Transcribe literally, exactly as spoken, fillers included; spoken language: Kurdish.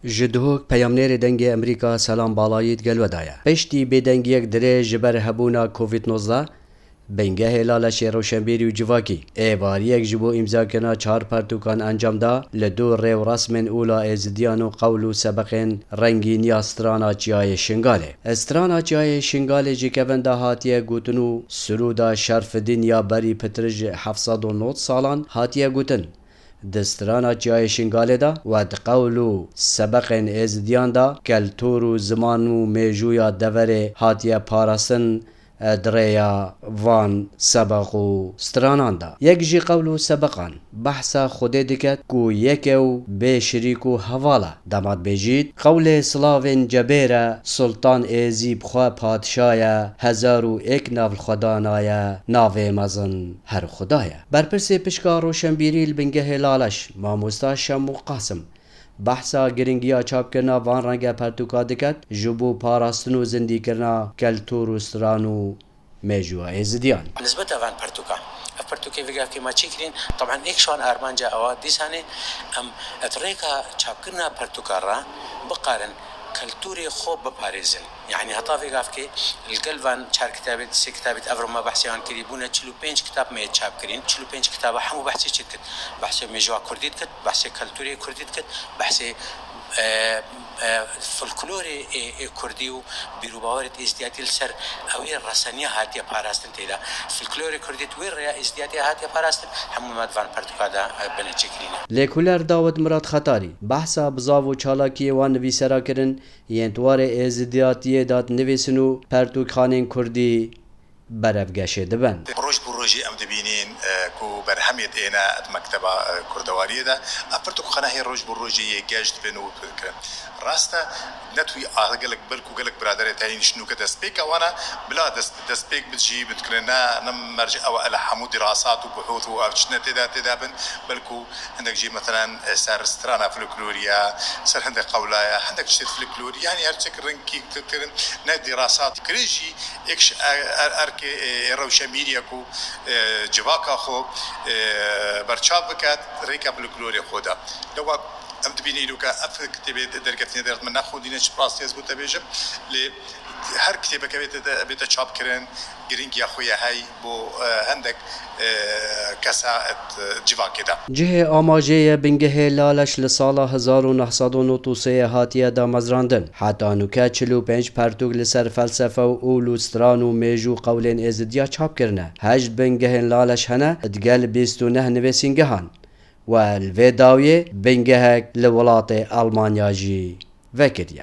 Ji Duhok peyamnêrê Dengê Emerîka Selam Balayî digel we de ye. Piştî bêdengiyek dirêj ji ber hebûna Covid nozdeh, Bingehê Laleşê Roşenbîrî û Civakî êvariyek ji bo îmzakirina çar pertûkan encam da li dû rêwresmên ûla êzidiyan û qewl û sebeqên rengîn ya strana Çiyayê Şingalê. Strana Çiyayê Şingalê ji kevin de hatiye gotin û sirûda Şerfidîn ya berî pitir ji heft sed û nod salan hatiye gotin. Di strana Çiyayê Şingalê de we di qewl û sebeqên êzidiyan de keltûr û ziman û mêjûya deverê hatiye parastin, e, di rêya van sebeq û stranan de. Yek ji qewl û sebeqan behsa Xwedê diket ku yek e û bê şirîk û heval e. Dema dibêjît, qewlê silavên cebêr e, Sultan Êzî bi xwe padşa ye, hezar û êk nav li xwe dana ye, navê mezin her Xuda ye. Berpirsê pişka roşenbîrî li Bingehê Laleş, mamosta Şemû Qasim, behsa giringiya çapkirina van renge pertûka diket ji bo parastin û zindîkirina keltûr û stran û mêjûya êzidiyan. Nisbeta van pertûka, ev pertûkê vê gavkê me çêkirîn, teban êk ji wan armanca ewa dîsanê em di rêka çapkirina pertûka re bikarin keltûrê xwe biparêzin. Yanî heta vê gavkê li gel van çar kitabê, sê kitabê di evro me behsê wan kirî, bûne çil û pênc kitab me yê çap kirîn. Çil û pênc kitaba hemû behsê çi dikit? Behsê mêjûya kurdî dikit, behsê keltûrê kurdî dikit, behsê, e, e, folklorê ê, ê kurdî û bîr û bawerê êzdiyatî li ser ew ê reseniya hatiye parastin tê de. Folklorê kurdî di wê rêya êzdiyatê hatiye parastin, hemû me di van pertûka de, e, bine çêkirîne. Lêkoler Dawid Murat Xetarî behsa bizav û çalakiyê wan nivîsera kirin, yên di warê êzidiyatiyê de dinivîsin û pertûkxanên kurdî berevgeşê dibin. Roj bi rojê em dibînin, e, ku berhemê têne di mekteba, e, kurdewariyê de. Ev pirtûkxane hê roj bi rojê yê geş dibin û dikirin. Rast e, ne tu a gelek, belkû gelek biraderê te hîn ji nûke destpêka wan e, bila dest, destpêk bi jî bi dikirin. Ne, ne merc ew e, ele hemû dirasat û buhûth û ev çi ne tê de, tê de bin, belkû hindek jî, meselen, e, ser strana folkloriya, ser hindek qewlaya, hindek tiştê folklorî, yanî her çek rengkî dikirin, ne dirasat dikirin jî, êk ji er-, er-, erkê, e, rewşenbîriye ku, e, civaka xwe, e, berçav biket, rêka folklorê xwe de. Lewa em dibînin îro ke ev kitêbê derketine derdmin nexwendîne, çi rastî ez bo te bêjim, lê her kitêbeke bête, bête çapkirin, giringiya xwe ye hey bo, e, hindek, e, kesa et, e, civakê de. Cihê amajê ye bingehê Laleş li sala hezar û neh sed û nod û sê hatiye damezrandin. Heta nûke çil û pênc pertûk li ser felsefe û ûl û stran û mêj û qewlên êzidiya çap kirine. Heşt bingehên Laleş hene, digel bîst û neh nivîsîngehan. We li vê dawiyê bingehek li welatê Almanya jî vekiriye.